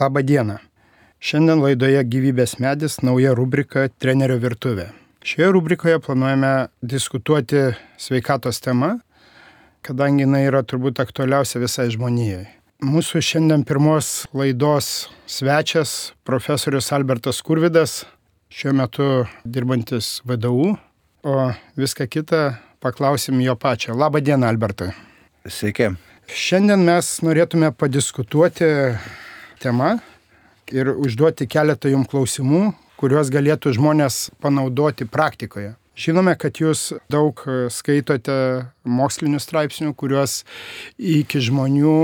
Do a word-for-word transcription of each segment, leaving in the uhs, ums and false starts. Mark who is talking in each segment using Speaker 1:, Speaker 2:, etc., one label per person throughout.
Speaker 1: Labą dieną. Šiandien laidoje Gyvybės medis nauja rubrika Trenerio virtuvė. Šioje rubrikoje planuojame diskutuoti sveikatos tema, kadangi jinai yra turbūt aktualiausia visai žmonijai. Mūsų šiandien pirmos laidos svečias profesorius Albertas Skurvydas, šiuo metu dirbantis V D U, o viską kitą paklausim jo pačio. Labą dieną, Albertai.
Speaker 2: Sveiki.
Speaker 1: Šiandien mes norėtume padiskutuoti tema ir užduoti keletą jums klausimų, kuriuos galėtų žmonės panaudoti praktikoje. Žinome, kad jūs daug skaitote mokslinių straipsnių, kuriuos iki žmonių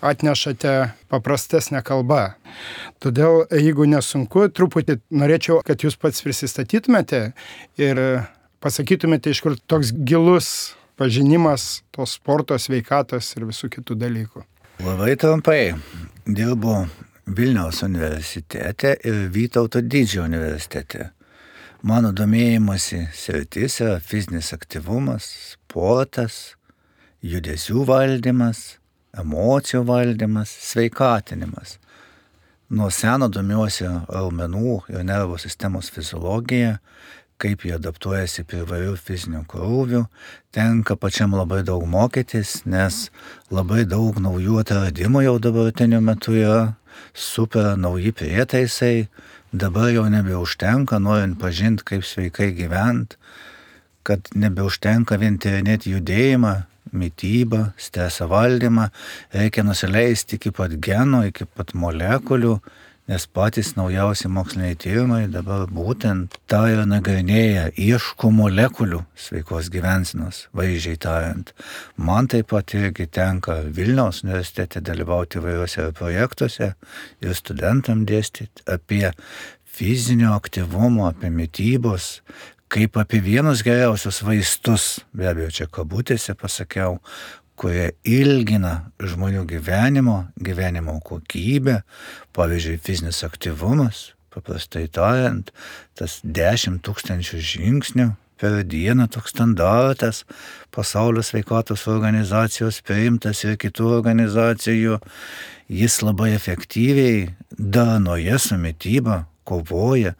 Speaker 1: atnešate paprastesnę kalbą. Todėl, jeigu nesunku, truputį norėčiau, kad jūs pats prisistatytumėte ir pasakytumėte, iš kur toks gilus pažinimas tos sporto, sveikatos ir visų kitų dalykų.
Speaker 2: Labai trumpai. Dirbu Vilniaus universitete ir Vytauto Didžiojo universitete. Mano domėjimosi sritis yra fizinis aktyvumas, sportas, judesių valdymas, emocijų valdymas, sveikatinimas. Nuo seno domiuosi raumenų ir nervų sistemos fiziologija, kaip jie adaptuojasi prie įvairių fizinių krūvių. Tenka pačiam labai daug mokytis, nes labai daug naujų atradimų jau dabartiniu metu yra, super nauji prietaisai. Dabar jau nebeužtenka, norint pažinti, kaip sveikai gyventi, kad nebeužtenka vien tyrinėti judėjimą, mitybą, streso valdymą, reikia nusileisti iki pat genų, iki pat molekulių, nes patys naujausi moksliniai tyrimai dabar būtent tą ir nagrinėja, ieško molekulių sveikos gyvensenos, vaizdžiai tariant. Man taip pat irgi tenka Vilniaus universitete dalyvauti įvairiuose projektuose ir studentam dėstyti apie fizinio aktyvumo, apie mitybos, kaip apie vienus geriausius vaistus, be abejo čia kabutėse pasakiau, kurie ilgina žmonių gyvenimo, gyvenimo kokybę, pavyzdžiui, fizinis aktyvumas, paprastai tariant, tas dešimt tūkstančių žingsnių per dieną toks standartas, Pasaulio sveikatos organizacijos priimtas ir kitų organizacijų, jis labai efektyviai darnoje su mityba kovoja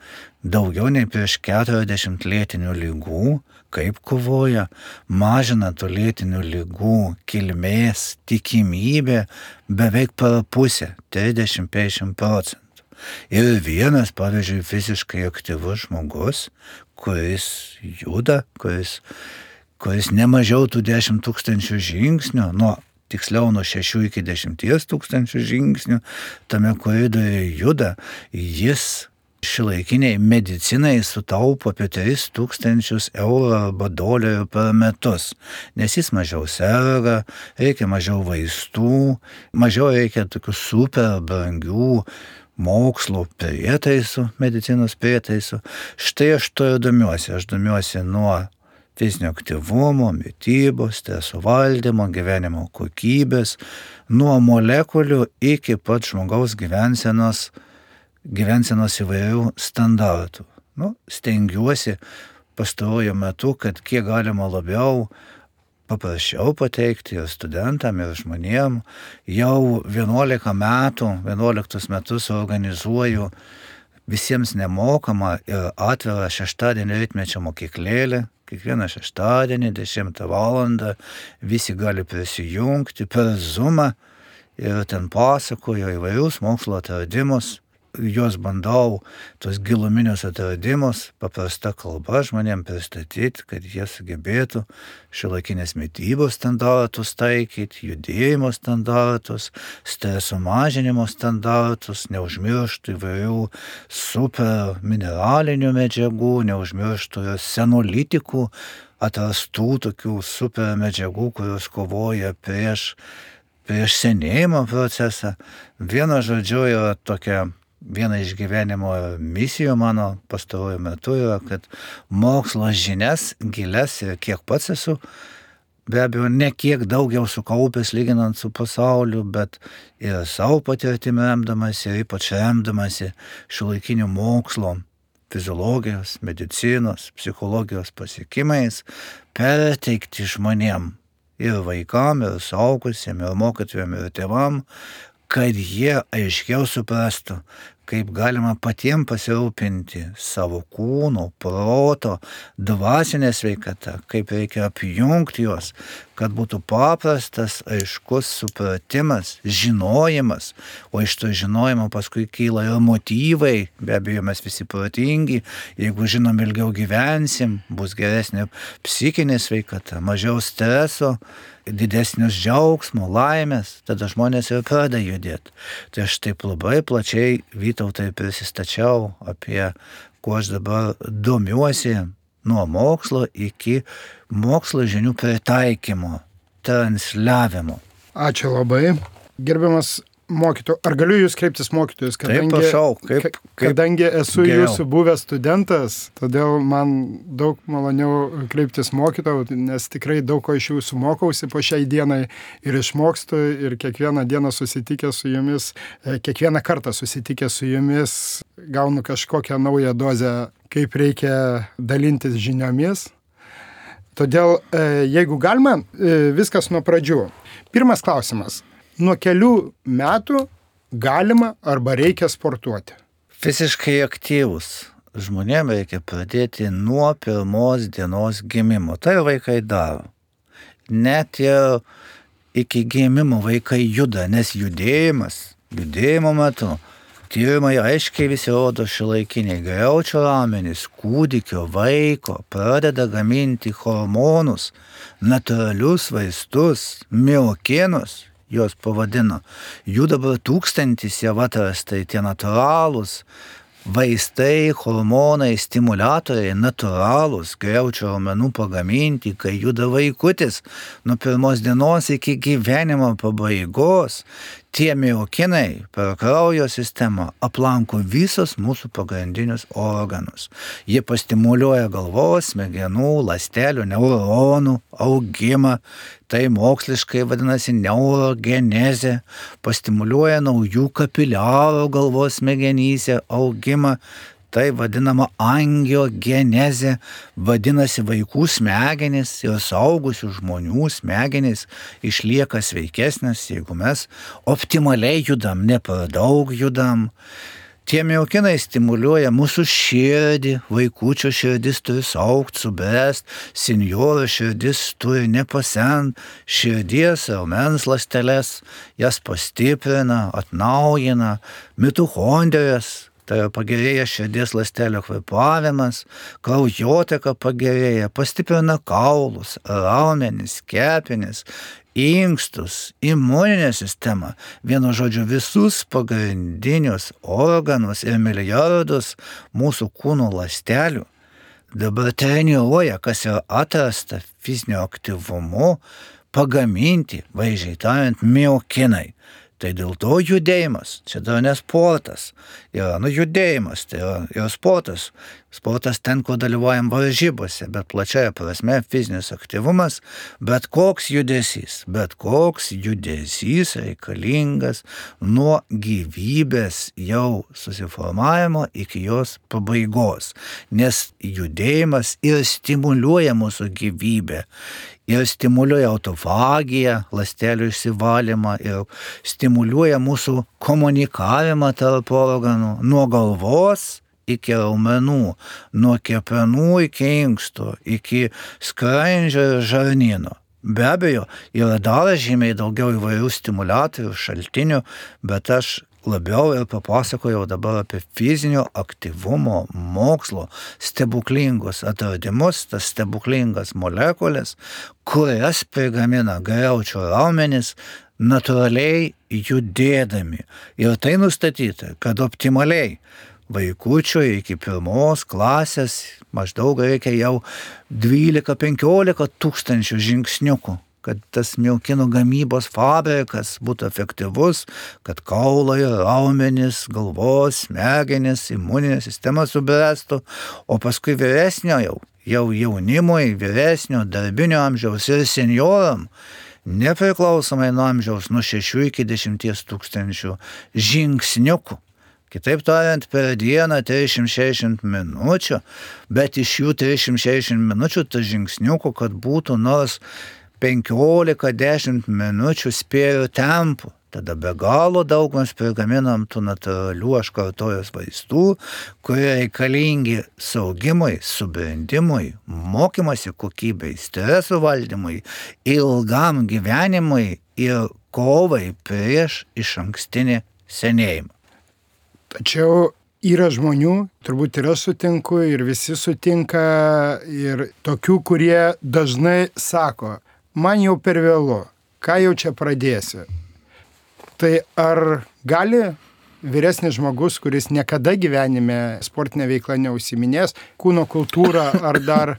Speaker 2: daugiau nei prieš keturiasdešimt lėtinių ligų, kaip kovoja, mažina tų lėtinių ligų kilmės tikimybė beveik per pusę, trisdešimt iki penkiasdešimt procentų. Ir vienas, pavyzdžiui, fiziškai aktyvus žmogus, kuris juda, kuris, kuris nemažiau tų dešimt tūkstančių žingsnių, nuo tiksliau nuo šešių iki dešimties tūkstančių žingsnių, tame koridoriuje juda, jis šiuolaikiniai medicinai sutaupo apie tris tūkstančius eurų arba dolerių per metus, nes jis mažiau serga, reikia mažiau vaistų, mažiau reikia tokių super brangių mokslo prietaisų, medicinos prietaisų. Štai aš to ir domiuosi. Aš domiuosi nuo fizinio aktyvumo, mitybos, streso valdymo, gyvenimo kokybės, nuo molekulių iki pat žmogaus gyvensenos gyvensenos įvairių standartų. Nu, stengiuosi pastaruoju metu, kad kiek galima labiau paprasčiau pateikti ir studentam, ir žmonėm. Jau vienuolika metų, vienuoliktus metus organizuoju visiems nemokamą ir atvirą šeštadienį rytmečio mokyklėlę. Kiekvieną šeštadienį, dešimtą valandą, visi gali prisijungti per Zoomą ir ten pasakoju įvairius mokslo atradimus. Juos bandau, tos giluminius atradimus, paprasta kalba žmonėm pristatyti, kad jie sugebėtų šiuolaikinės mitybos standartus taikyti, judėjimo standartus, streso mažinimo standartus, neužmirštų įvairių super mineralinių medžiagų, neužmirštų senolitikų, atrastų tokių super medžiagų, kurios kovoja prieš, prieš senėjimo procesą. Vienu žodžiu yra tokia Viena iš gyvenimo misijų mano pastaruoju metu yra, kad mokslo žinias gilias ir kiek pats esu, be abejo, ne kiek daugiau sukaupęs lyginant su pasauliu, bet ir savo patirtimi remdamasi ir ypač remdamasi šiuolaikinių mokslo, fiziologijos, medicinos, psichologijos pasiekimais, perteikti žmonėm ir vaikam, ir suaugusiem, ir mokytojam, ir tėvam, kad jie aiškiau suprastų, kaip galima patiems pasirūpinti savo kūno, proto, dvasinė sveikata, kaip reikia apjungti juos, kad būtų paprastas, aiškus supratimas, žinojimas, o iš to žinojimo paskui kyla ir motyvai, be abejo mes visi protingi, jeigu žinom ilgiau gyvensim, bus geresnė psichinė sveikata, mažiau streso, didesnius džiaugsmo, laimės, tada žmonės ir pradeda judėti. Tai aš taip labai plačiai, Vytautai, prisistačiau apie, kuo aš dabar domiuosi, nuo mokslo iki mokslo žinių pritaikymo, transliavimo.
Speaker 1: Ačiū labai. Gerbiamas mokytojau, ar galiu jūs kreiptis mokytojus, kadangi,
Speaker 2: taip, prašau, kaip, kaip
Speaker 1: kadangi esu
Speaker 2: geriau.
Speaker 1: Jūsų buvęs studentas, todėl man daug maloniau kreiptis mokytojau, nes tikrai daug ko iš jūsų mokausi po šiai dienai ir išmokstu ir kiekvieną dieną susitikęs su jumis, kiekvieną kartą susitikęs su jumis gaunu kažkokią naują dozę, kaip reikia dalintis žiniomis. Todėl, jeigu galima, viskas nuo pradžių. Pirmas klausimas. Nuo kelių metų galima arba reikia sportuoti?
Speaker 2: Fiziškai aktyvus žmonėms reikia pradėti nuo pirmos dienos gimimo. Tai vaikai daro. Net ir iki gimimo vaikai juda, nes judėjimas, judėjimo metu, tyrimai aiškiai visi rodo šiuolaikiniai griaučio raumenys, kūdikio, vaiko pradeda gaminti hormonus, natūralius vaistus, miokinus, jos pavadino. Jų dabar tūkstantis jau atrastai tie natūralūs vaistai, hormonai, stimuliatoriai, natūralūs, griaučio raumenų pagaminti, kai juda vaikutis nuo pirmos dienos iki gyvenimo pabaigos. Tie miokinai per kraujo sistemą aplanko visus mūsų pagrindinius organus. Jie pastimuliuoja galvos, smegenų, ląstelių, neuronų augimą. Tai moksliškai vadinasi neurogenezė. Pastimuliuoja naujų kapiliarų galvos smegenyse augimą. Tai vadinama angiogenezė, vadinasi vaikų smegenys ir suaugusių žmonių smegenys išlieka sveikesnės, jeigu mes optimaliai judam, ne per daug judam. Tie miokinai stimuliuoja mūsų širdį, vaikučio širdis turi saugt, subręst, senjoro širdis turi nepasent, širdies raumens ląsteles, jas pastiprina, atnaujina, mitochondrijas. Tai pagerėja širdies ląstelio kvėpavimas, kraujoteka pagerėja, pastiprina kaulus, raumenis, kepenis, inkstus, imuninę sistemą, vienu žodžiu visus pagrindinius organus ir milijardus mūsų kūno ląstelių. Dabar treniruoja, kas yra atrasta fizinio aktyvumu, pagaminti, vaizdžiai tariant, miokinai. Tai dėl to judėjimas, čia dar ne sportas, yra nu judėjimas, tai yra, yra sportas. Sportas ten, kur dalyvaujam varžybose, bet plačiaja prasme fizinis aktyvumas, bet koks judesys, bet koks judesys reikalingas nuo gyvybės jau susiformavimo iki jos pabaigos, nes judėjimas ir stimuliuoja mūsų gyvybę. Ir stimuliuoja autofagiją, ląstelių išsivalymą ir stimuliuoja mūsų komunikavimą tarp organų nuo galvos iki raumenų, nuo kepenų iki inkstų, iki skrandžio ir žarnyno. Be abejo, yra dar žymiai daugiau įvairių stimuliatorių, šaltinių, bet aš labiau ir papasakojau dabar apie fizinio aktyvumo mokslo stebuklingus atradimus, tas stebuklingas molekulės, kurias prigamina griaučio raumenys natūraliai judėdami. Ir tai nustatyta, kad optimaliai vaikučio iki pirmos klasės maždaug reikia jau dvylika penkiolika tūkstančių žingsniukų, kad tas miokinų gamybos fabrikas būtų efektyvus, kad kaulai, raumenys, galvos, smegenys, imuninė sistema subręstų, o paskui vyresnio jau, jau jaunimui, vyresnio, darbinio amžiaus ir senjoram, nepriklausomai nuo amžiaus, nuo šešių iki dešimties tūkstančių žingsniukų. Kitaip tariant, per dieną trisdešimt šešiasdešimt minučių, bet iš jų trisdešimt šešiasdešimt minučių ta žingsniukų, kad būtų nors penkiolika dešimt minučių spėrių tempu. tada be galo daug mes prigaminam tų natūralių, aš kartojos vaistų, kurie reikalingi saugimui, subrendimui, mokymasi kokybei, streso valdymui, ilgam gyvenimui ir kovai prieš išankstinį senėjimą.
Speaker 1: Tačiau yra žmonių, turbūt ir aš sutinku, ir visi sutinka, ir tokių, kurie dažnai sako, man jau per vėlu, ką jau čia pradėsi. Tai ar gali vyresnis žmogus, kuris niekada gyvenime sportinę veiklą neužsiminės, kūno kultūrą ar dar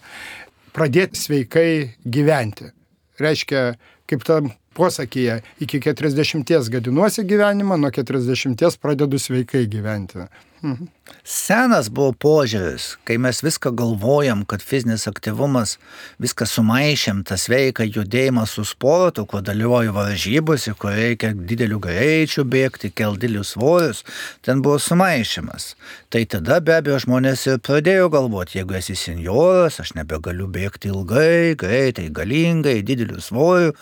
Speaker 1: pradėti sveikai gyventi? Reiškia, kaip tam posakyje, iki keturiasdešimties gadinuosi gyvenimą, nuo keturiasdešimties pradedu sveikai gyventi. Mhm.
Speaker 2: Senas buvo požiūris, kai mes viską galvojam, kad fizinis aktyvumas, viską sumaišėm, tą sveiką judėjimą su sportu, kur dalyvauju varžybose, kur reikia didelių greičių bėgti, kelt didelius svorius, ten buvo sumaišymas. Tai tada be abejo žmonės ir pradėjo galvoti, jeigu esi senjoras, aš nebegaliu bėgti ilgai, greitai, galingai, didelių svorių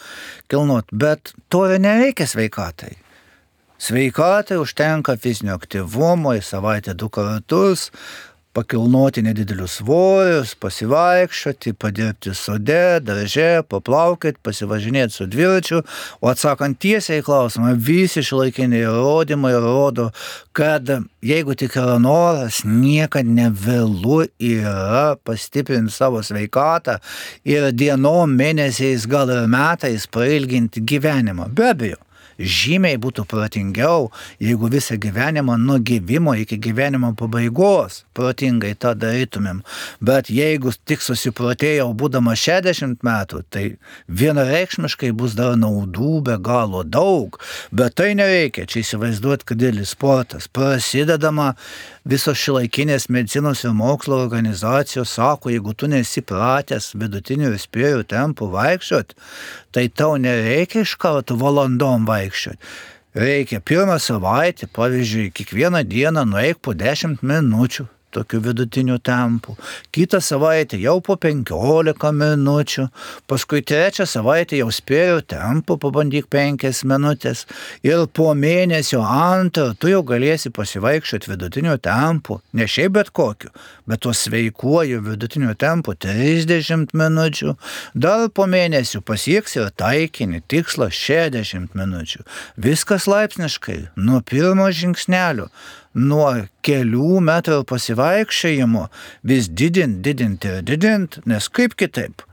Speaker 2: kilnot, bet to ir nereikia sveikatai. Sveikatai užtenka fizinio aktyvumo į savaitę du kartus, pakilnoti nedidelius svorius, pasivaikščioti, padirbti sode, darže, paplaukėti, pasivažinėti su dviračiu, o atsakant tiesiai į klausimą, visi šiuolaikiniai įrodymai rodo, kad jeigu tik yra noras, niekad nevėlu yra pastiprinti savo sveikatą ir dienom, mėnesiais, gal ir metais prailginti gyvenimą. Be abejo. Žymiai būtų protingiau, jeigu visą gyvenimą nuo gimimo iki gyvenimo pabaigos protingai tą darytumėm. Bet jeigu tik susiprotėjau būdama šešiasdešimt metų, tai vienareikšmiškai bus dar naudų be galo daug. Bet tai nereikia, čia įsivaizduoti, kad didelis sportas. Prasidedama visos šiuolaikinės medicinos ir mokslo organizacijos sako, jeigu tu nesi pratęs vidutinių ir spėrių tempų vaikščiot, tai tau nereikia iš karto valandom vaikščiot. Reikia pirmą savaitę, pavyzdžiui, kiekvieną dieną nueik po dešimt minučių tokių vidutinių tempų. Kitą savaitę jau po penkiolika minučių. Paskui trečią savaitę jau spėrių tempų, pabandyk penkias minutės. Ir po mėnesio antrą tu jau galėsi pasivaikščioti vidutinių tempų. Ne šiaip bet kokiu, bet tuo sveikuoju vidutinių tempų trisdešimt minučių. Dar po mėnesių pasieks ir taikinį tikslą šešiasdešimt minučių. Viskas laipsniškai, nuo pirmo žingsnelio. Nuo kelių metrų pasivaikščiojimo vis didint, didint ir didint, nes kaip kitaip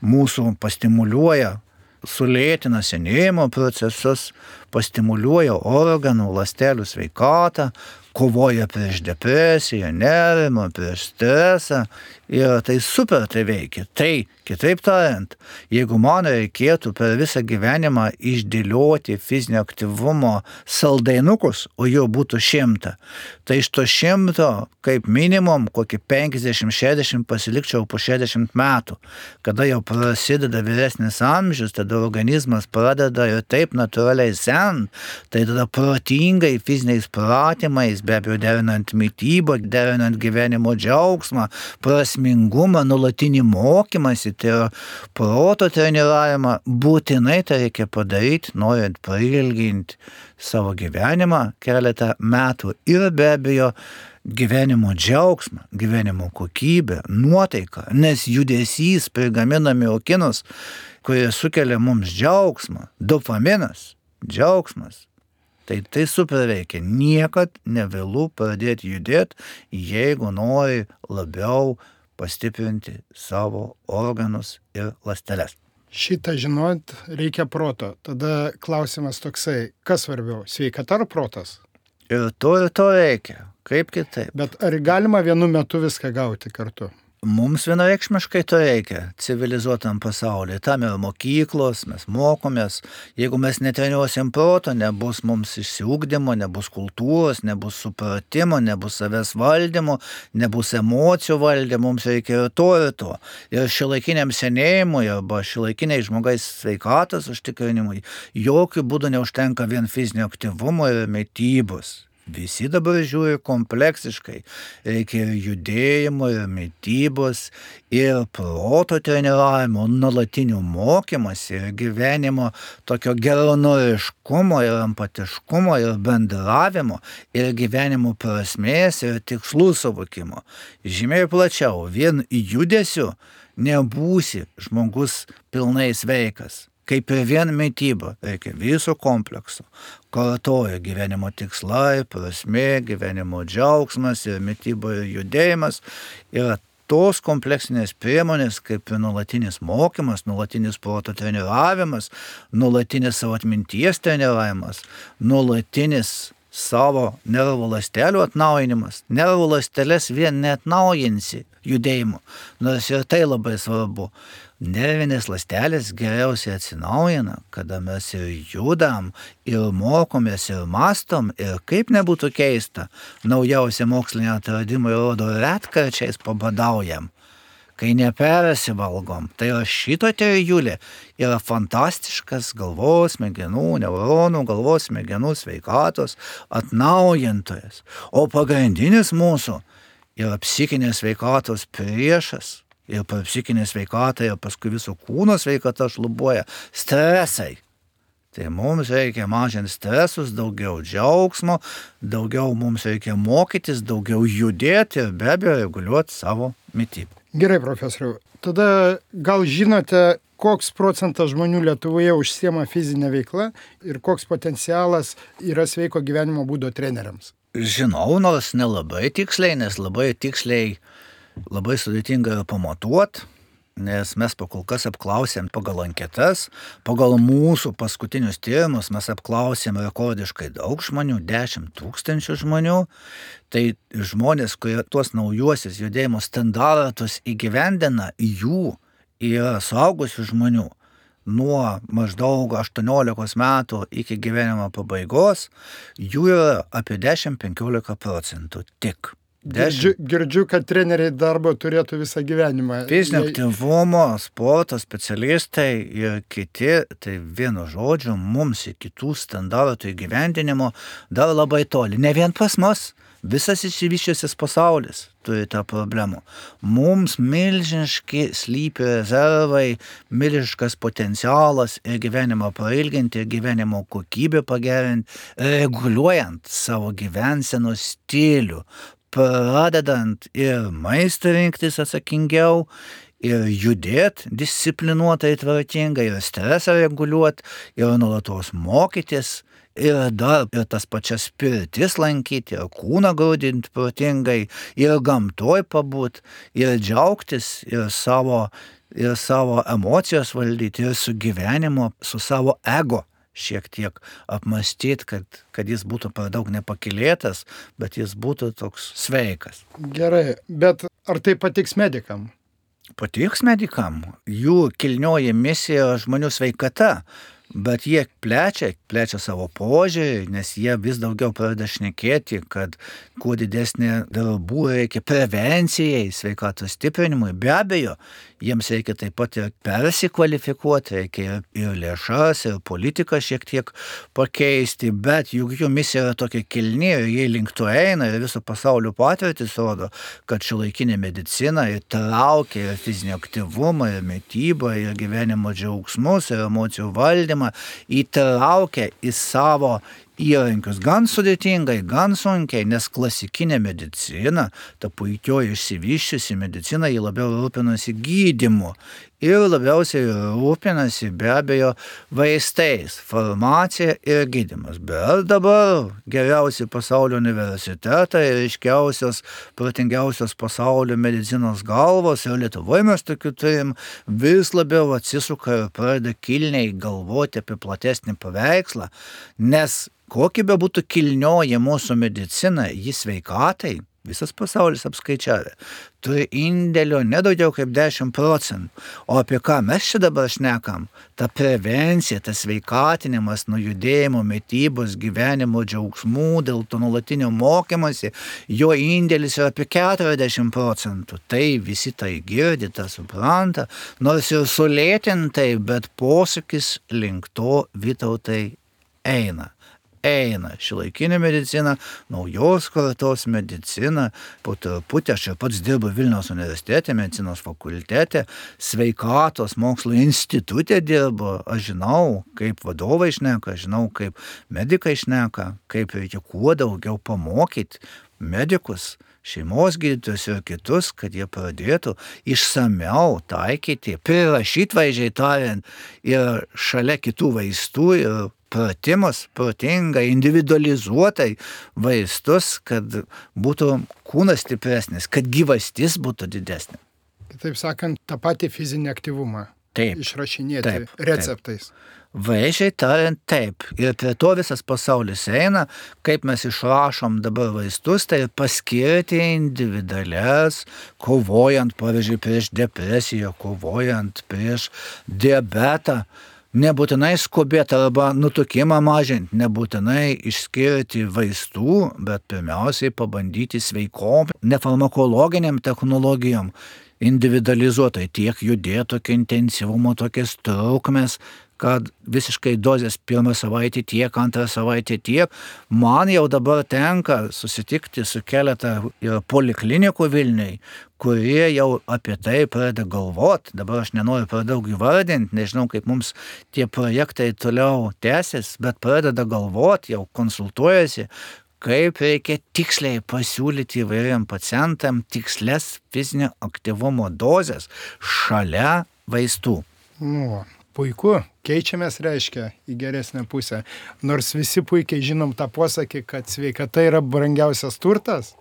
Speaker 2: mūsų pastimuliuoja, sulėtina senėjimo procesus, pastimuliuoja organų, ląstelių sveikatą, kovoja prieš depresiją, nerimą, prieš stresą ir tai super tai veikia. Tai, kitaip tariant, jeigu man reikėtų per visą gyvenimą išdėlioti fizinio aktyvumo saldainukus, o jų būtų šimta, tai iš to šimto kaip minimum kokį penkiasdešimt šešiasdešimt pasilikčiau po šešiasdešimt metų. Kada jau prasideda vyresnis amžius, tada organizmas pradeda ir taip natūraliai sent, tai tada protingai fiziniais pratimais, be abejo derinant mitybą, derinant gyvenimo džiaugsmą, prasmingumą, nuolatinį mokymąsi, tai yra proto treniravimą, būtinai tai reikia padaryti, norint prailginti savo gyvenimą keletą metų ir be abejo gyvenimo džiaugsmą, gyvenimo kokybę, nuotaiką, nes judesys prigamina miokinus, kurie sukelia mums džiaugsmą, dopaminas, džiaugsmas. Tai tai super veikia. Niekad nevėlu pradėti judėti, jeigu nori labiau pastiprinti savo organus ir ląsteles.
Speaker 1: Šitą žinot reikia proto. Tada klausimas toksai, kas svarbiau, sveikata ar protas?
Speaker 2: Ir to ir to reikia. Kaip kitaip?
Speaker 1: Bet ar galima vienu metu viską gauti kartu?
Speaker 2: Mums vienareikšmiškai to reikia civilizuotam pasaulyje. Tam yra mokyklos, mes mokomės. Jeigu mes netreniruosim proto, nebus mums išsiugdymo, nebus kultūros, nebus supratimo, nebus savęs valdymo, nebus emocijų valdymo, mums reikia ir to ir to. Ir šiuolaikiniam senėjimui arba šiuolaikiniai žmogais sveikatos užtikrinimui jokių būdų neužtenka vien fizinio aktyvumo ir mitybos. Visi dabar žiūri kompleksiškai. Reikia ir judėjimo, ir mitybos, ir proto treniravimo, nuolatinių mokymas, ir gyvenimo tokio geranoriškumo, ir empatiškumo, ir bendravimo, ir gyvenimo prasmės, ir tikslų suvokimo. Žymiai plačiau, vien judesiu nebūsi žmogus pilnai sveikas. Kaip ir vien mityba, reikia viso komplekso. Kartoja gyvenimo tikslai, prasmė, gyvenimo džiaugsmas ir mityba ir judėjimas. Yra tos kompleksinės priemonės, kaip ir nuolatinis mokymas, nuolatinis proto treniravimas, nuolatinis savo atminties treniravimas, nuolatinis savo nervų ląstelių atnaujinimas. Nervų ląsteles vien neatnaujinsi judėjimu, nors ir tai labai svarbu. Nervinės ląstelės geriausiai atsinaujina, kada mes ir judam, ir mokomės, ir mastom, ir kaip nebūtų keista, naujausi moksliniai atradimai rodo, retkarčiais pabadaujam, kai nepersivalgom. Tai yra šito trijulė yra fantastiškas galvos smegenų, neuronų, galvos smegenų sveikatos atnaujintojas. O pagrindinis mūsų yra psichinės sveikatos priešas. Ir per psichinę sveikatą, ir paskui viso kūno sveikata šlubuoja stresai. Tai mums reikia mažinti stresus, daugiau džiaugsmo, daugiau mums reikia mokytis, daugiau judėti ir be abejo reguliuoti savo mitybą.
Speaker 1: Gerai, profesoriau. Tada gal žinote, koks procentas žmonių Lietuvoje užsiema fizinę veiklą ir koks potencialas yra sveiko gyvenimo būdo treneriams?
Speaker 2: Žinau, nors nelabai tiksliai, nes labai tiksliai labai sudėtinga yra pamatuot, nes mes pakol kas apklausėm pagal anketas, pagal mūsų paskutinius tyrimus mes apklausėm rekordiškai daug žmonių, dešimt tūkstančių žmonių. Tai žmonės, kurie tuos naujuosius judėjimo standartus įgyvendina, jų yra suaugusių žmonių nuo maždaug aštuoniolikos metų iki gyvenimo pabaigos, jų yra apie dešimt penkiolika procentų tik.
Speaker 1: Girdžiu, girdžiu, kad treneriai darbo turėtų visą gyvenimą.
Speaker 2: Fizinio aktyvumo, sporto specialistai ir kiti, tai vienu žodžiu, mums į kitų standartų įgyvendinimo dar labai toli. Ne vien pas mus, visas išsivyščiusis pasaulis turi tą problemą. Mums milžiniški slypi rezervai, milžiniškas potencialas ir gyvenimą prailginti, ir gyvenimo kokybę pagerinti, reguliuojant savo gyvensenos stilių, pradedant ir maistą rinktis atsakingiau, ir judėti disciplinuotai tvarkingai, ir stresą reguliuoti, ir nuolatos mokytis, ir dar ir tas pačias pirtis lankyti, ir kūną grūdinti protingai, ir gamtoj pabūt, ir džiaugtis, ir savo, ir savo emocijos valdyti, ir su gyvenimu, su savo ego šiek tiek apmąstyti, kad, kad jis būtų per daug nepakylėtas, bet jis būtų toks sveikas.
Speaker 1: Gerai, bet ar tai patiks medikam?
Speaker 2: Patiks medikam. Jų kilnioji misija žmonių sveikata, bet jie plečia, plečia savo požiūrį, nes jie vis daugiau pradeda šnekėti, kad kuo didesnė darbų reikia prevencijai, sveikatos stiprinimui. Be abejo, jiems reikia taip pat ir persikvalifikuoti, reikia ir lėšas, ir politiką šiek tiek pakeisti, bet juk jų misija yra tokia kilni ir jie link to eina ir viso pasaulio patirtis rodo, kad šiuolaikinė medicina įtraukia ir fizinį aktyvumą, ir mitybą, ir gyvenimo džiaugsmus, ir emocijų valdymą, įtraukia į savo įrankius gan sudėtingai, gan sunkiai, nes klasikinė medicina, ta puikioji išsivyščiusi medicina, jį labiau rūpinasi gydymu ir labiausiai rūpinasi be abejo vaistais, farmacija ir gydymas. Bet dabar geriausi pasaulio universitetai ir iškiausios, protingiausios pasaulio medicinos galvos, ir Lietuvoje mes tokių turim, vis labiau atsisuka ir pradeda kilniai galvoti apie platesnį paveikslą, nes kokia be būtų kilnioji mūsų medicina, jis sveikatai, visas pasaulis apskaičiavė, turi indėlio nedaugiau kaip dešimt procentų. O apie ką mes čia dabar šnekam? Ta prevencija, tas sveikatinimas, nuo judėjimo, mitybos, gyvenimo džiaugsmų, dėl to nuolatinio mokymasi, jo indėlis yra apie keturiasdešimt procentų. Tai visi tai girdi, tą supranta, nors ir sulėtintai, bet posūkis link to, Vytautai, eina. eina šiuolaikinė medicina, naujos kartos medicina, po truputį aš ir pats dirbu Vilniaus universitete, medicinos fakultete, sveikatos mokslo institute dirbu, aš žinau, kaip vadovai šneka, žinau, kaip medikai šneka, kaip reikia kuo daugiau pamokyti medikus, šeimos gydytojus ir kitus, kad jie pradėtų išsamiau taikyti, prirašyti vaizdžiai tariant ir šalia kitų vaistų ir pratimus, protingai, individualizuotai vaistus, kad būtų kūnas stipresnis, kad gyvastis būtų didesnė.
Speaker 1: Kitaip sakant, tą patį fizinį aktyvumą
Speaker 2: taip,
Speaker 1: išrašinėti
Speaker 2: taip,
Speaker 1: receptais.
Speaker 2: Taip. Vaizdžiai tariant taip. Ir prie to visas pasaulis eina, kaip mes išrašom dabar vaistus, tai paskirti individualias, kovojant, pavyzdžiui, prieš depresiją, kovojant prieš diabetą. Nebūtinai skubėti arba nutukimą mažinti, nebūtinai išskirti vaistų, bet pirmiausiai pabandyti sveikom, nefarmakologiniam technologijom, individualizuotai tiek judėti, tokio intensyvumo, tokias trukmės, kad visiškai dozės pirmą savaitę tiek, antrą savaitę tiek. Man jau dabar tenka susitikti su keletą poliklinikų Vilniui, kurie jau apie tai pradeda galvoti. Dabar aš nenoriu per daug įvardinti, nežinau, kaip mums tie projektai toliau tęsis, bet pradeda galvoti, jau konsultuojasi, kaip reikia tiksliai pasiūlyti įvairiam pacientam tikslias fizinio aktyvumo dozes šalia vaistų.
Speaker 1: Nu, puiku, keičiamės reiškia į geresnę pusę. Nors visi puikiai žinom tą posakį, kad sveikata yra brangiausias turtas,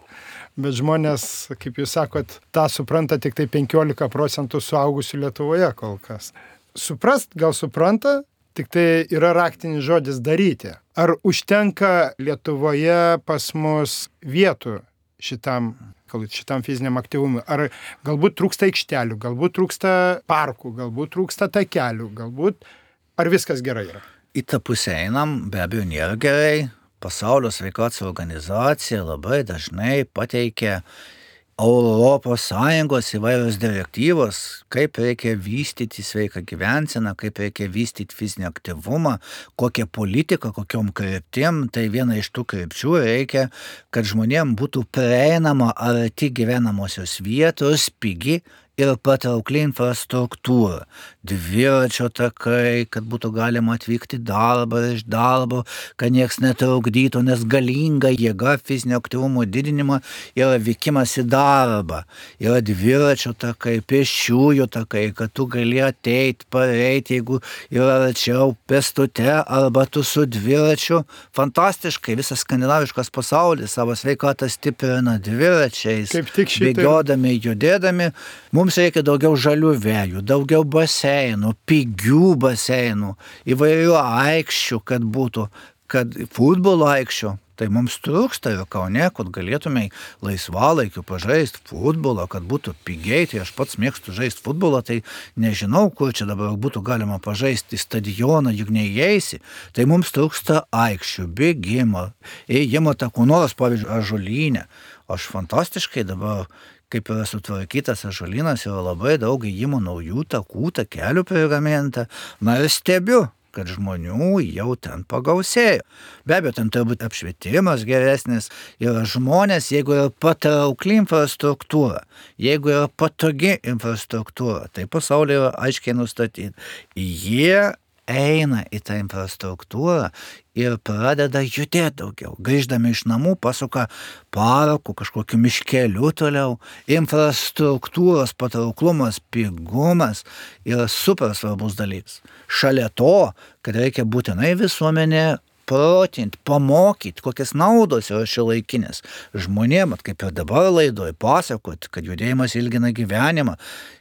Speaker 1: bet žmonės, kaip jūs sakot, tą supranta tik tai penkiolika procentų suaugusių Lietuvoje kol kas. Suprast gal supranta, tik tai yra raktinis žodis daryti. Ar užtenka Lietuvoje pas mus vietų šitam šitam fiziniam aktyvumui. Ar galbūt trūksta aikštelių, galbūt trūksta parkų, galbūt trūksta takelių, galbūt ar viskas gerai yra?
Speaker 2: Į tą pusę einam, be abejo nėra gerai. Pasaulio sveikatos organizacija labai dažnai pateikia Europos Sąjungos įvairios direktyvos, kaip reikia vystyti sveiką gyvenseną, kaip reikia vystyti fizinį aktyvumą, kokią politiką, kokiom kryptim. Tai viena iš tų krypčių reikia, kad žmonėm būtų prieinama arti gyvenamosios vietos, pigi ir patraukli infrastruktūra. Dviračio takai, kad būtų galima atvykti darbą iš darbo, kad nieks netrukdytų, nes galinga jėga fizinio aktyvumo didinimo yra vykimas į darbą. Yra dviračio takai, pėsčiųjų takai, kad tu gali ateiti, pareiti, jeigu yra arčiau pėstute arba tu su dviračiu. Fantastiškai, visas skandinaviškas pasaulis savo sveikatą stiprina dviračiais, bėgiodami, judėdami. Mums reikia daugiau žalių vėjų, daugiau baseinų, pigių baseinų, įvairių aikščių, kad būtų, kad futbolo aikščių. Tai mums trūksta ir Kaune, kad galėtume laisvalaikiu pažaisti futbolą, kad būtų pigiai. Tai aš pats mėgstu žaisti futbolą, tai nežinau, kur čia dabar būtų galima pažaisti stadioną, juk neįeisi. Tai mums trūksta aikščių, bėgimo, ėjimo takų, nors, pavyzdžiui, Ąžuolyne. Aš fantastiškai dabar, kaip yra sutvarkytas Ąžuolynas, yra labai daug ėjimo naujų takų, takelių prigaminta. Na ir stebiu, kad žmonių jau ten pagausėjo. Be abejo, ten turbūt apšvietimas geresnis. Yra žmonės, jeigu yra patraukli infrastruktūra, jeigu yra patogi infrastruktūra, tai pasaulyje yra aiškiai nustatyti. Jie eina į tą infrastruktūrą ir pradeda judėti daugiau. Grįždami iš namų pasuka parku, kažkokiu miškeliu toliau. Infrastruktūros patrauklumas, pigumas yra super svarbus dalykas. Šalia to, kad reikia būtinai visuomenė protinti, pamokyti, kokias naudos yra šiuolaikinės žmonėm, kaip ir dabar laidoj pasakot, kad judėjimas ilgina gyvenimą,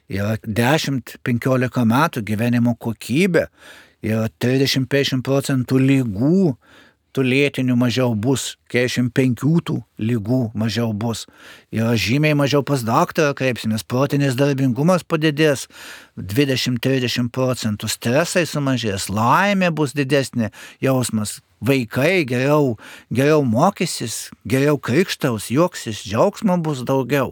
Speaker 2: yra dešimt penkiolika metų gyvenimo kokybė, yra trisdešimt penkiasdešimt procentų lygų, tų lėtinių mažiau bus keturiasdešimt penkių tų lygų mažiau bus. Ir žymiai mažiau pas daktarą kreipsimės, protinis darbingumas padidės dvidešimt trisdešimt procentų, stresai sumažės, laimė bus didesnė jausmas. Vaikai geriau, geriau mokysis, geriau krikštaus, juoksis, džiaugsmo bus daugiau.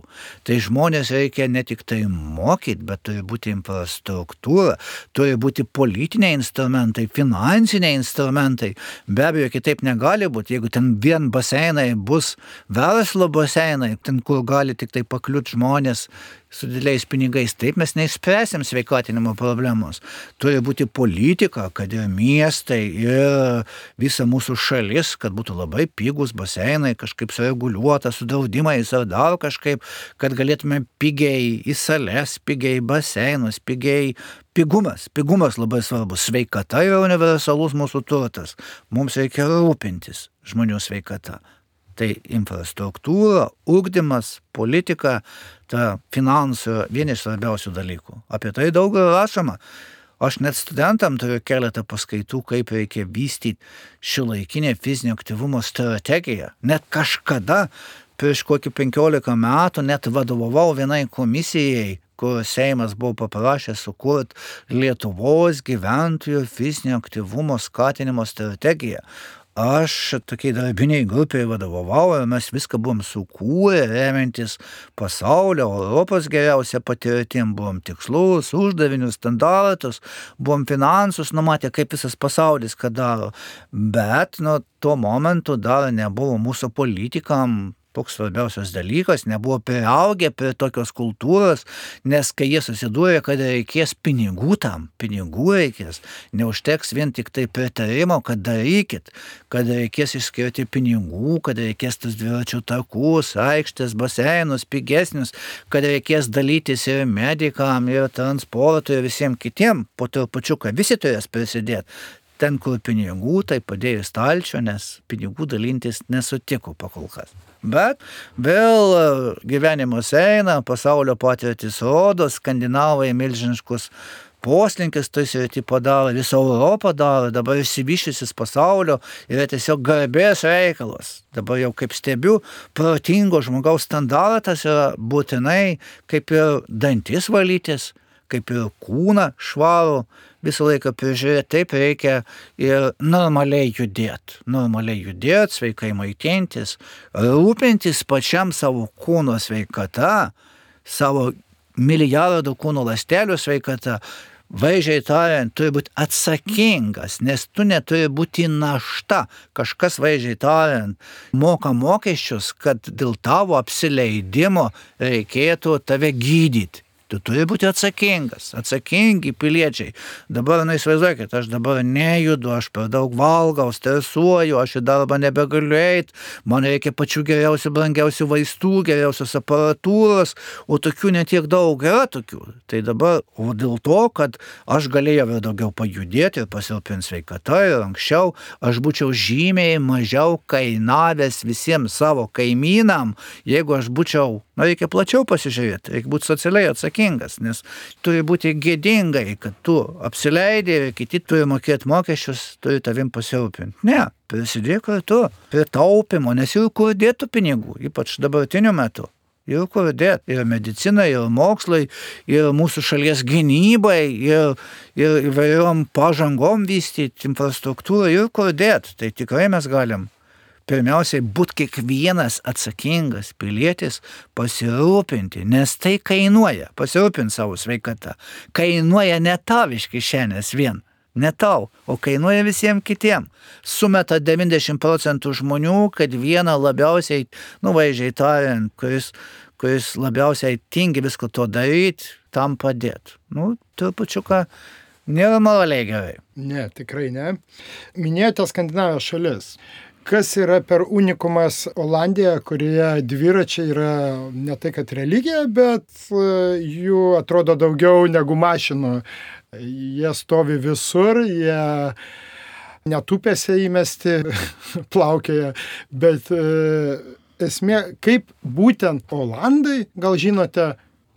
Speaker 2: Tai žmonės reikia ne tik tai mokyti, bet turi būti infrastruktūra, turi būti politiniai instrumentai, finansiniai instrumentai. Be abejo, kitaip negali būti, jeigu ten vien baseinai bus verslo baseinai, ten kur gali tik tai pakliūti žmonės su dideliais pinigais, taip mes neišspręsim sveikatinimo problemos. Turi būti politika, kad ir miestai, ir visa mūsų šalis, kad būtų labai pigus baseinai, kažkaip sureguliuota, su draudimais ar dar kažkaip, kad galėtume pigiai į sales, pigiai į baseinus, pigiai pigumas. Pigumas labai svarbus. Sveikata yra universalus mūsų turtas. Mums reikia rūpintis žmonių sveikata. Tai infrastruktūra, ugdymas, politika, ta finansų vieni iš svarbiausių dalykų. Apie tai daug rašoma. Aš net studentam turiu keletą paskaitų, kaip reikia vystyti šiuolaikinę fizinio aktyvumo strategiją. Net kažkada, prieš kokį penkiolika metų, net vadovavau vienai komisijai, kur Seimas buvo paprašęs sukurti Lietuvos gyventojų fizinio aktyvumo skatinimo strategiją. Aš tokiai darbiniai grupiai vadovavau ir mes viską buvom sukūrę, remiantis pasaulio, Europos geriausia patirtim, buvom tikslus, uždavinius, standartus, buvom finansus numatę, kaip visas pasaulis ką daro. Bet nuo to momentu dar nebuvo mūsų politikam toks svarbiausias dalykas, nebuvo priaugę prie tokios kultūros, nes kai jie susidūrė, kad reikės pinigų tam, pinigų reikės, neužteks vien tik tai pritarimo, kad darykit, kad reikės išskirti pinigų, kad reikės tas dviračių takus, aikštės, baseinus, pigesnius, kad reikės dalytis ir medikam, ir transportui, ir visiems kitiem, po trupučiuką visi turės prisidėti. Ten, kur pinigų, tai padėjo stalčio, nes pinigų dalintis nesutiko pakolkas. Bet vėl gyvenimas eina, pasaulio patirtis rodo, skandinavai milžiniškus poslinkis tai srity padaro, visą Europą daro, dabar išsivyščiusis pasaulio yra tiesiog garbės reikalas. Dabar jau kaip stebiu, protingo žmogaus standartas yra būtinai kaip ir dantis valytis, kaip ir kūną švarų, visą laiką prižiūrėti, taip reikia ir normaliai judėti. Normaliai judėti, sveikai maitintis, rūpintis pačiam savo kūno sveikata, savo milijardų kūno ląstelių sveikata, vaizdžiai tariant, turi būti atsakingas, nes tu neturi būti našta. Kažkas vaizdžiai tariant moka mokesčius, kad dėl tavo apsileidimo reikėtų tave gydyti. Tu turi būti atsakingas, atsakingi piliečiai. Dabar, na, įsivaizduokit, aš dabar nejudu, aš per daug valgau, stresuoju, aš į darbą nebegaliu eiti, man reikia pačių geriausių, brangiausių vaistų, geriausios aparatūros, o tokių netiek daug yra tokių. Tai dabar, o dėl to, kad aš galėjau ir daugiau pajudėti ir pasirūpinti sveikata ir anksčiau, aš būčiau žymiai mažiau kainavęs visiems savo kaimynam, jeigu aš būčiau, na, reikia plačiau pasižiūrėti, reikia būti socialiai atsakingas, nes turi būti gėdingai, kad tu apsileidai ir kiti turi mokėti mokesčius, turi tavim pasirūpinti. Ne, prisidėk kartu prie taupimo, nes ir kur dėtų pinigų, ypač dabartiniu metu. Ir kur dėt, ir medicinai, ir mokslai, ir mūsų šalies gynybai, ir, ir įvairiom pažangom vystyti infrastruktūrą, ir kur dėt. Tai tikrai mes galim pirmiausiai būti kiekvienas atsakingas pilietis pasirūpinti, nes tai kainuoja, pasirūpinti savo sveikatą. Kainuoja ne tau iš kišenės vien, ne tau, o kainuoja visiems kitiem. Sumeta devyniasdešimt procentų žmonių, kad vieną labiausiai, nu vaizdžiai tariant, kuris, kuris labiausiai tingi visko to daryti, tam padėti. Nu, trupučiuką nėra moraliai gerai.
Speaker 1: Ne, tikrai ne. Minėjote Skandinavijos šalis. Kas yra per unikumas Olandija, kurioje dviračiai yra ne tai kad religija, bet jų atrodo daugiau negu mašinų. Jie stovi visur, jie netupėse įmesti, plaukioja, bet esmė, kaip būtent Olandai, gal žinote,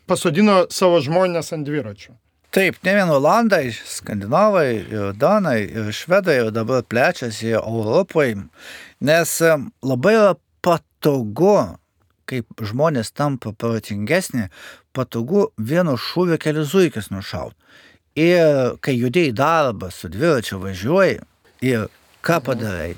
Speaker 1: pasodino savo žmonės ant dviračių.
Speaker 2: Taip, ne vien Olandai, Skandinavai, ir Danai, ir Švedai ir dabar plečiasi Europoje, nes labai yra patogu, kaip žmonės tampa protingesni, patogu vienu šūviu kelius zuikius nušaut. Ir kai judėjai darbą su dviračiu važiuoji, ir ką padarai?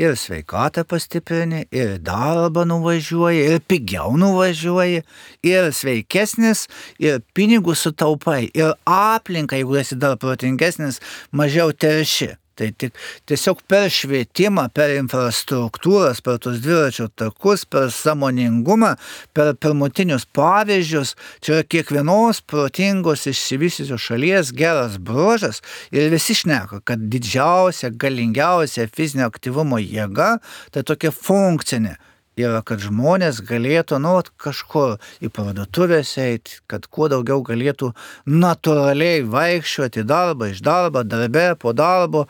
Speaker 2: Ir sveikatą pastiprini, ir darbą nuvažiuoji, ir pigiau nuvažiuoji, ir sveikesnis, ir pinigus sutaupai, ir aplinka, jeigu esi dar protingesnis, mažiau terši. Tai tik tiesiog per švietimą, per infrastruktūras, per tos dviračio takus, per sąmoningumą, per pirmutinius pavyzdžius, čia yra kiekvienos protingos išsivysiusios šalies geras bruožas ir visi šneka, kad didžiausia, galingiausia fizinio aktyvumo jėga, tai tokia funkcinė. Yra, kad žmonės galėtų, nu, kažkur į parduotuvės eiti, kad kuo daugiau galėtų natūraliai vaikščioti darbą, iš darbo, darbe, po darbo.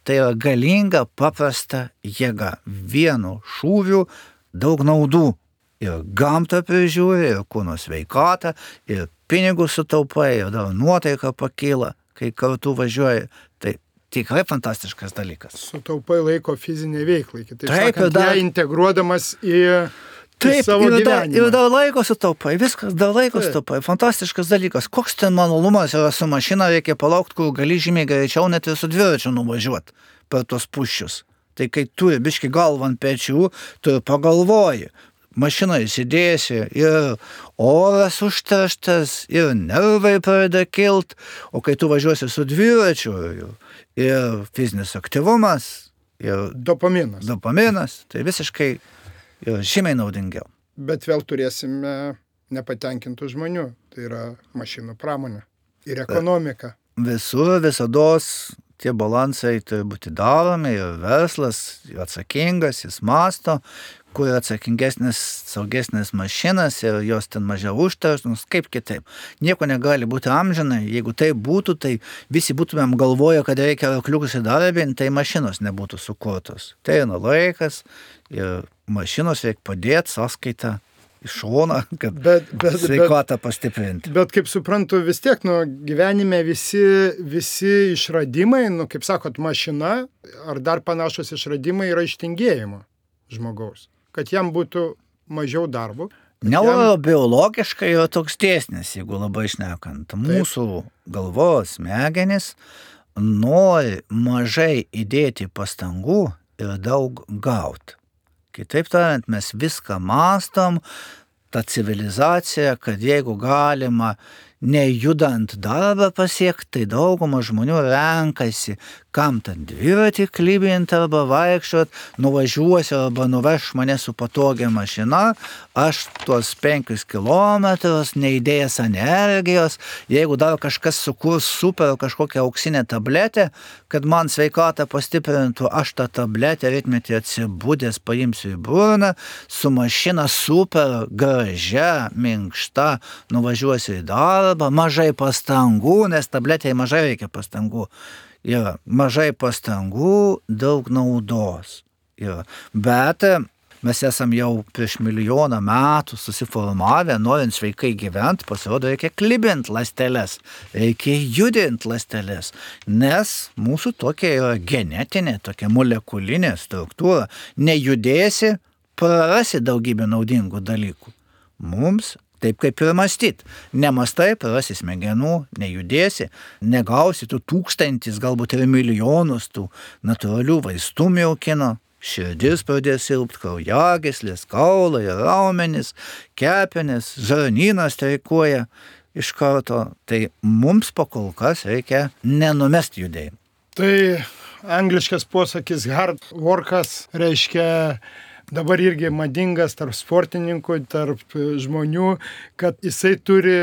Speaker 2: Tai yra galinga, paprasta jėga. Vienu šūviu daug naudų. Ir gamtą prižiūri, ir kūno sveikatą, ir pinigus sutaupai, ir dar nuotaika pakyla, kai kartu važiuoji. Tai tikrai fantastiškas dalykas.
Speaker 1: Sutaupai laiko fizinė veiklai, kitaip
Speaker 2: Taip,
Speaker 1: sakant,
Speaker 2: dar...
Speaker 1: ją integruodamas į,
Speaker 2: Taip,
Speaker 1: į savo
Speaker 2: ir dar,
Speaker 1: gyvenimą.
Speaker 2: ir dar laiko sutaupai, viskas, dar laiko sutaupai, fantastiškas dalykas. Koks ten malonumas yra su mašina, reikia palaukti, kur gali žymiai greičiau net ir su dviračiu nuvažiuoti per tos puščius. Tai kai turi biški galvą ant pečių, tu pagalvoji. Mašinoje įsidėsi ir oras užterštas, ir nervai pradeda kilt, o kai tu važiuosi su dviračiu, ir, ir fizinis aktyvumas, ir
Speaker 1: Dopaminas.
Speaker 2: dopaminas, tai visiškai yra žymiai naudingiau.
Speaker 1: Bet vėl turėsime nepatenkintų žmonių, tai yra mašinų pramonė ir ekonomika.
Speaker 2: Visur, visados tie balansai turi būti daromi ir verslas yra atsakingas, jis masto, kur yra atsakingesnis, saugesnis mašinas ir jos ten mažiau užterštos, kaip kitaip. Nieko negali būti amžinai, jeigu tai būtų, tai visi būtumėm galvoję, kad reikia arkliukus įdarbinti, tai mašinos nebūtų sukurtos. Tai yra laikas ir mašinos reikia padėti sąskaitą iš šoną, kad
Speaker 1: bet, bet,
Speaker 2: sveikatą pastiprinti.
Speaker 1: Bet kaip suprantu, vis tiek nu, gyvenime visi, visi išradimai, nu, kaip sakot, mašina ar dar panašus išradimai yra ištingėjimo žmogaus, kad jam būtų mažiau darbo.
Speaker 2: Neurobiologiškai yra toks dėsnis, jeigu labai šnekant. Mūsų galvos smegenys nori mažai įdėti pastangų ir daug gauti. Kitaip tariant, mes viską mąstom, ta civilizacija, kad jeigu galima nejudant darbą pasiekti, tai dauguma žmonių renkasi, kam ten dviratį klibinti arba vaikščiot, nuvažiuosiu arba nuveš mane su patogia mašina, aš tuos penkius kilometrus neįdėjęs energijos, jeigu dar kažkas sukurs super kažkokią auksinę tabletę, kad man sveikatą pastiprintų, aš tą tabletę rytmetį atsibudęs paimsiu į burną, su mašina super gražia, minkšta, nuvažiuosiu į darbą, mažai pastangų, nes tabletėje mažai reikia pastangų. Yra mažai pastangų, daug naudos. Yra. Bet mes esam jau prieš milijoną metų susiformavę, norint sveikai gyventi, pasirodo, reikia klibinti ląsteles, reikia judinti ląsteles, nes mūsų tokia yra genetinė, tokia molekulinė struktūra. Nejudėsi, prarasi daugybę naudingų dalykų. Mums taip kaip ir mąstyti. Nemastai, prarasi smegenų, nejudėsi, negausi tų tūkstantis, galbūt ir milijonus tų natūralių vaistų miaukino, širdis pradės silpti, kraujagyslės, kaulai, raumenys, kepenys, žarnynas streikuoja iš karto. Tai mums pakol kas reikia nenumesti judėjimą.
Speaker 1: Tai angliškas posakis hard workas reiškia dabar irgi madingas tarp sportininkų, tarp žmonių, kad jisai turi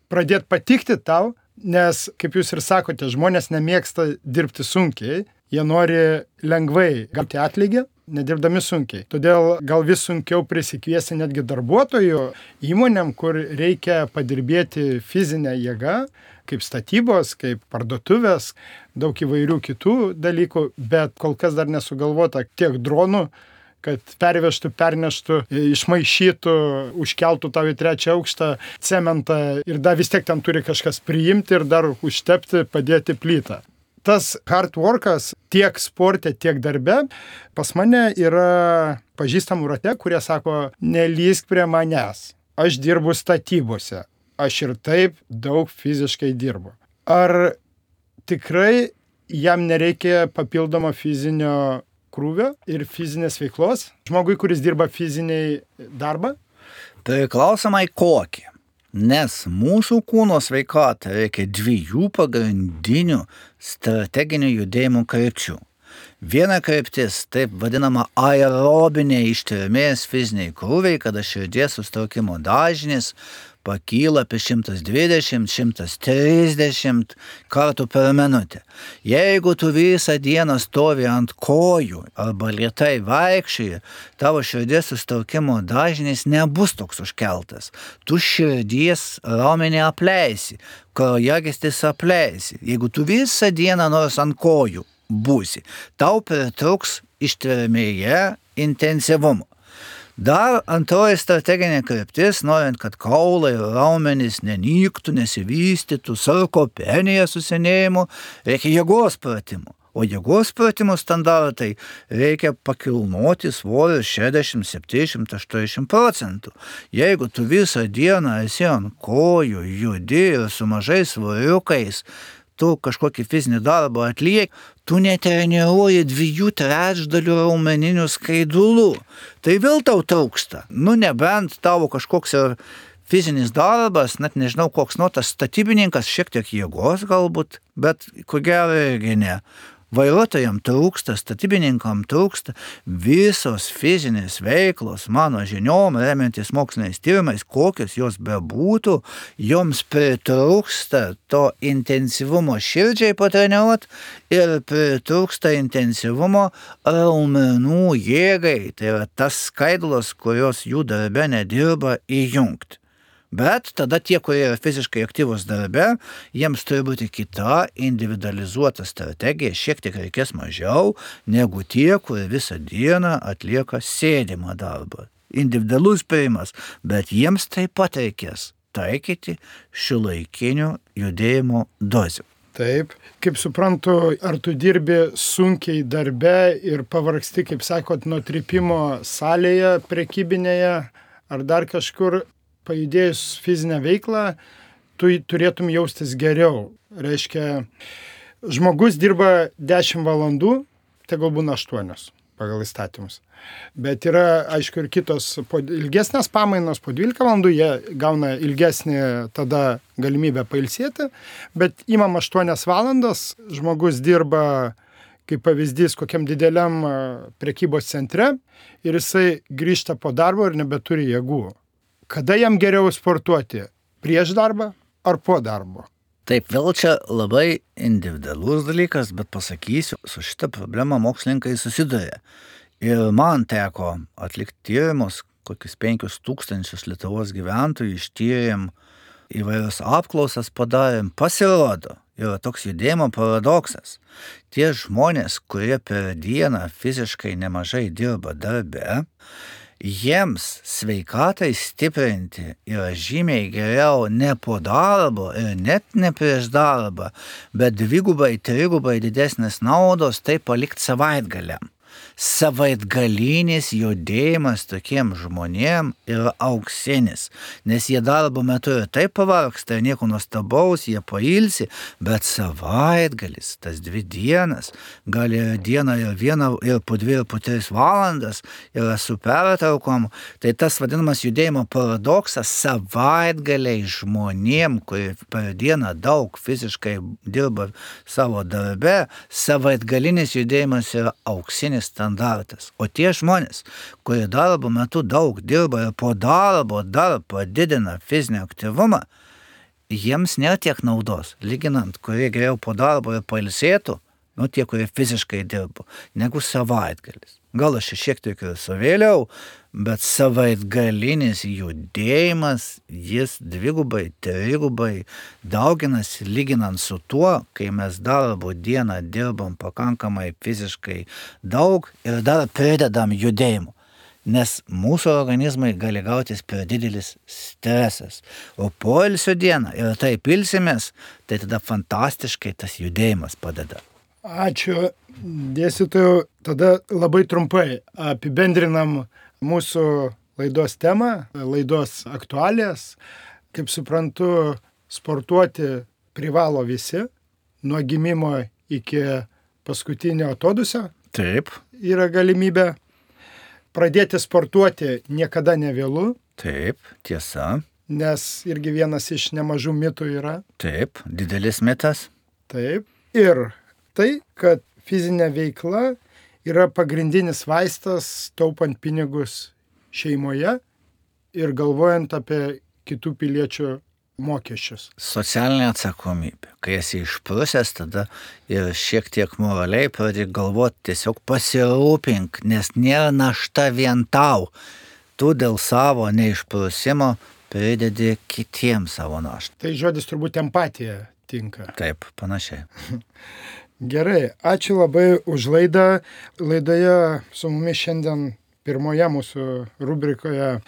Speaker 1: pradėti patikti tau, nes, kaip jūs ir sakote, žmonės nemėgsta dirbti sunkiai, jie nori lengvai gauti atlygį, nedirbdami sunkiai. Todėl gal vis sunkiau prisikviesti netgi darbuotojų įmonėm, kur reikia padirbėti fizinę jėgą, kaip statybos, kaip parduotuvės, daug įvairių kitų dalykų, bet kol kas dar nesugalvota tiek dronų, kad pervežtų, perneštų, išmaišytų, užkeltų tau į trečią aukštą cementą ir dar vis tiek ten turi kažkas priimti ir dar užtepti, padėti plytą. Tas hard workas tiek sporte, tiek darbe pas mane yra pažįstamų rate, kurie sako, nelįsk prie manęs, aš dirbu statybose, aš ir taip daug fiziškai dirbu. Ar tikrai jam nereikia papildomo fizinio krūvio ir fizinės veiklos? Žmogui, kuris dirba fiziniai darbą?
Speaker 2: Priklausomai kokį. Nes mūsų kūno sveikatą reikia dviejų pagrindinių strateginių judėjimų krypčių. Viena kryptis, taip vadinama aerobinė ištvermės fiziniai krūviai, kada širdies susitraukimo dažnis pakyla apie šimtas dvidešimt - šimtas trisdešimt kartų per minutę. Jeigu tu visą dieną stovi ant kojų arba lėtai vaikščioji, tavo širdies susitraukimo dažnis nebus toks užkeltas. Tu širdies raumenį apleisi, kraujagysles apleisi. Jeigu tu visą dieną nors ant kojų būsi, tau pritruks ištvermėje intensyvumo. Dar antroji strateginė kryptis, norint, kad kaulai ir raumenys nenyktų, nesivystytų, sarkopenija susenėjimu, reikia jėgos pratimų. O jėgos pratimų standartai reikia pakilnoti svorį šešiasdešimt, septyniasdešimt, aštuoniasdešimt procentų. Jeigu tu visą dieną esi ant kojų, judi ir su mažais svoriukais, tu kažkokį fizinį darbą atlieki, tu netreniruoji dviejų trečdalių raumeninių skaidulų. Tai vėl tau trūksta. Nu, nebent tavo kažkoks ir fizinis darbas, net nežinau koks, nu, tas statybininkas šiek tiek jėgos galbūt, bet ko gero irgi ne. Vairuotojam trūksta, statybininkam trūksta, visos fizinės veiklos, mano žiniom, remiantis moksliniais tyrimais, kokios jos bebūtų, joms pritrūksta to intensyvumo širdžiai patreniruot ir pritrūksta intensyvumo raumenų jėgai, tai yra tas skaidulos, kurios jų darbe nedirba, įjungti. Bet tada tie, kurie yra fiziškai aktyvus darbe, jiems turi būti kita individualizuota strategija, šiek tiek reikės mažiau negu tie, kurie visą dieną atlieka sėdimą darbą. Individualus priimas, bet jiems taip pat reikės taikyti šiuolaikinių judėjimo dozių.
Speaker 1: Taip, kaip suprantu, ar tu dirbi sunkiai darbe ir pavargsti, kaip sakot, nuo trypimo salėje, prekybinėje, ar dar kažkur, pajudėjus fizinę veiklą, tu turėtum jaustis geriau. Reiškia, žmogus dirba dešimt valandų, tai gal būna aštuonios pagal įstatymus. Bet yra, aišku, ir kitos po ilgesnės pamainos, po dvylika valandų jie gauna ilgesnį tada galimybę pailsėti, bet imam aštuonias valandas, žmogus dirba, kaip pavyzdys, kokiam dideliam prekybos centre ir jisai grįžta po darbo ir nebeturi jėgų. Kada jam geriau sportuoti? Prieš darbą ar po darbo?
Speaker 2: Taip, vėl čia labai individualus dalykas, bet pasakysiu, su šitą problemą mokslininkai susiduria. Ir man teko atlikti tyrimus, kokius penkius tūkstančius Lietuvos gyventojų ištyrėm, įvairias apklausas padarėm, pasirodo, yra toks judėjimo paradoksas. Tie žmonės, kurie per dieną fiziškai nemažai dirba darbe, jiems sveikatai stiprinti yra žymiai geriau ne po darbo ir net ne prieš darbą, bet dvigubai, trigubai didesnės naudos tai palikti savaitgaliam. Savaitgalinis judėjimas tokiem žmonėm yra auksinis, nes jie darbo metu ir taip pavargsta, nieko nuostabaus, jie pailsi, bet savaitgalis, tas dvi dienas, gali dieną ir vieną, ir po dvi, ir po tris valandas, yra su pertraukom, tai tas vadinamas judėjimo paradoksas savaitgaliai žmonėm, kurie per dieną daug fiziškai dirba savo darbe, savaitgalinis judėjimas yra auksinis standartas. O tie žmonės, kurie darbo metu daug dirba ir po darbo dar padidina fizinį aktyvumą, jiems nėra tiek naudos. Lyginant, kurie geriau po darbo ir pailsėtų, nu tie, kurie fiziškai dirbo, negu savaitgalis. Gal aš šiek tiek ir savėliau, bet savaitgalinis judėjimas, jis dvigubai, trigubai dauginasi lyginant su tuo, kai mes darbo dieną dirbam pakankamai fiziškai daug ir dar pridedam judėjimu. Nes mūsų organizmai gali gautis per didelis stresas. O poilsio dieną ir taip ilsimės, tai tada fantastiškai tas judėjimas padeda.
Speaker 1: Ačiū, dėstytojau. Tada labai trumpai apibendrinam mūsų laidos temą, laidos aktualijas. Kaip suprantu, sportuoti privalo visi, nuo gimimo iki paskutinio atodūsio.
Speaker 2: Taip.
Speaker 1: Yra galimybė. Pradėti sportuoti niekada nevėlu.
Speaker 2: Taip, tiesa.
Speaker 1: Nes irgi vienas iš nemažų mitų yra.
Speaker 2: Taip, didelis mitas.
Speaker 1: Taip. Ir tai, kad fizinė veikla yra pagrindinis vaistas taupant pinigus šeimoje ir galvojant apie kitų piliečių mokesčius.
Speaker 2: Socialinė atsakomybė. Kai esi išprusęs, tada ir šiek tiek moraliai pradėk galvoti, tiesiog pasirūpink, nes nėra našta vien tau. Tu dėl savo neišprusimo pridedi kitiems savo naštą.
Speaker 1: Tai žodis turbūt empatija tinka.
Speaker 2: Taip, panašiai.
Speaker 1: Gerai, ačiū labai už laidą. Laidoje su mumis šiandien pirmoje mūsų rubrikoje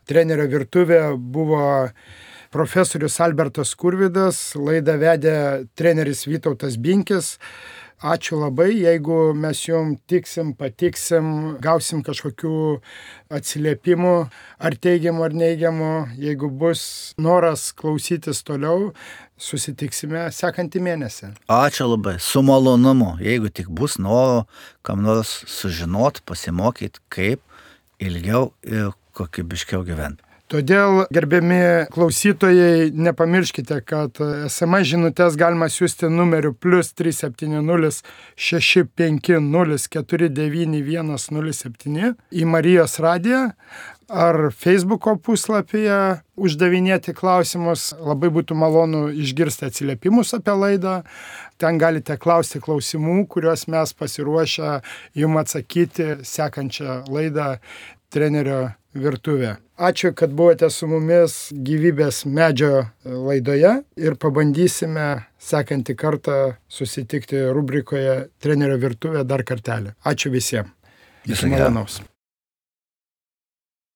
Speaker 1: Trenerio virtuvė buvo profesorius Albertas Skurvydas, laidą vedė treneris Vytautas Binkis. Ačiū labai, jeigu mes jums tiksim, patiksim, gausim kažkokių atsiliepimų, ar teigiamų, ar neigiamų. Jeigu bus noras klausytis toliau, susitiksime sekantį mėnesį.
Speaker 2: Ačiū labai, su malonumu. Jeigu tik bus noro, kam nors sužinot, pasimokyti, kaip ilgiau ir kokybiškiau gyventi.
Speaker 1: Todėl, gerbiami klausytojai, nepamirškite, kad es em es žinutės galima siųsti numeriu plus trys septyni nulis šeši penki nulis keturi devyni vienas nulis septyni į Marijos radiją ar Facebooko puslapyje uždavinėti klausimus. Labai būtų malonu išgirsti atsiliepimus apie laidą. Ten galite klausti klausimų, kuriuos mes pasiruošę jums atsakyti sekančią laidą Trenerio virtuvė. Ačiū, kad buvote su mumis Gyvybės medžio laidoje ir pabandysime sekantį kartą susitikti rubrikoje Trenerio virtuvė dar kartelį. Ačiū visiems. Iki malonaus.